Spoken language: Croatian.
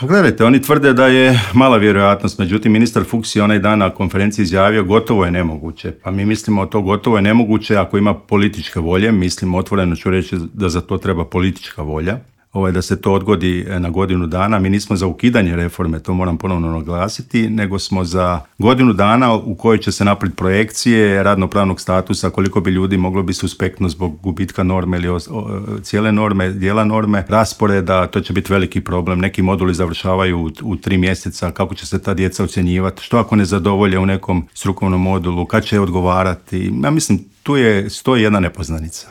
Gledajte, oni tvrde da je mala vjerojatnost, međutim ministar Fuchs je onaj dan na konferenciji izjavio gotovo je nemoguće. Pa mi mislimo to gotovo je nemoguće ako ima političke volje, mislim otvoreno ću reći da za to treba politička volja. Da se to odgodi na godinu dana. Mi nismo za ukidanje reforme, to moram ponovno naglasiti, nego smo za godinu dana u kojoj će se napraviti projekcije radnopravnog statusa, koliko bi ljudi moglo biti suspektno zbog gubitka norme ili cijele norme, dijela norme, rasporeda, to će biti veliki problem. Neki moduli završavaju u 3 mjeseca, kako će se ta djeca ocjenjivati, što ako ne zadovolje u nekom strukovnom modulu, kad će odgovarati. Ja mislim, tu stoji jedna nepoznanica.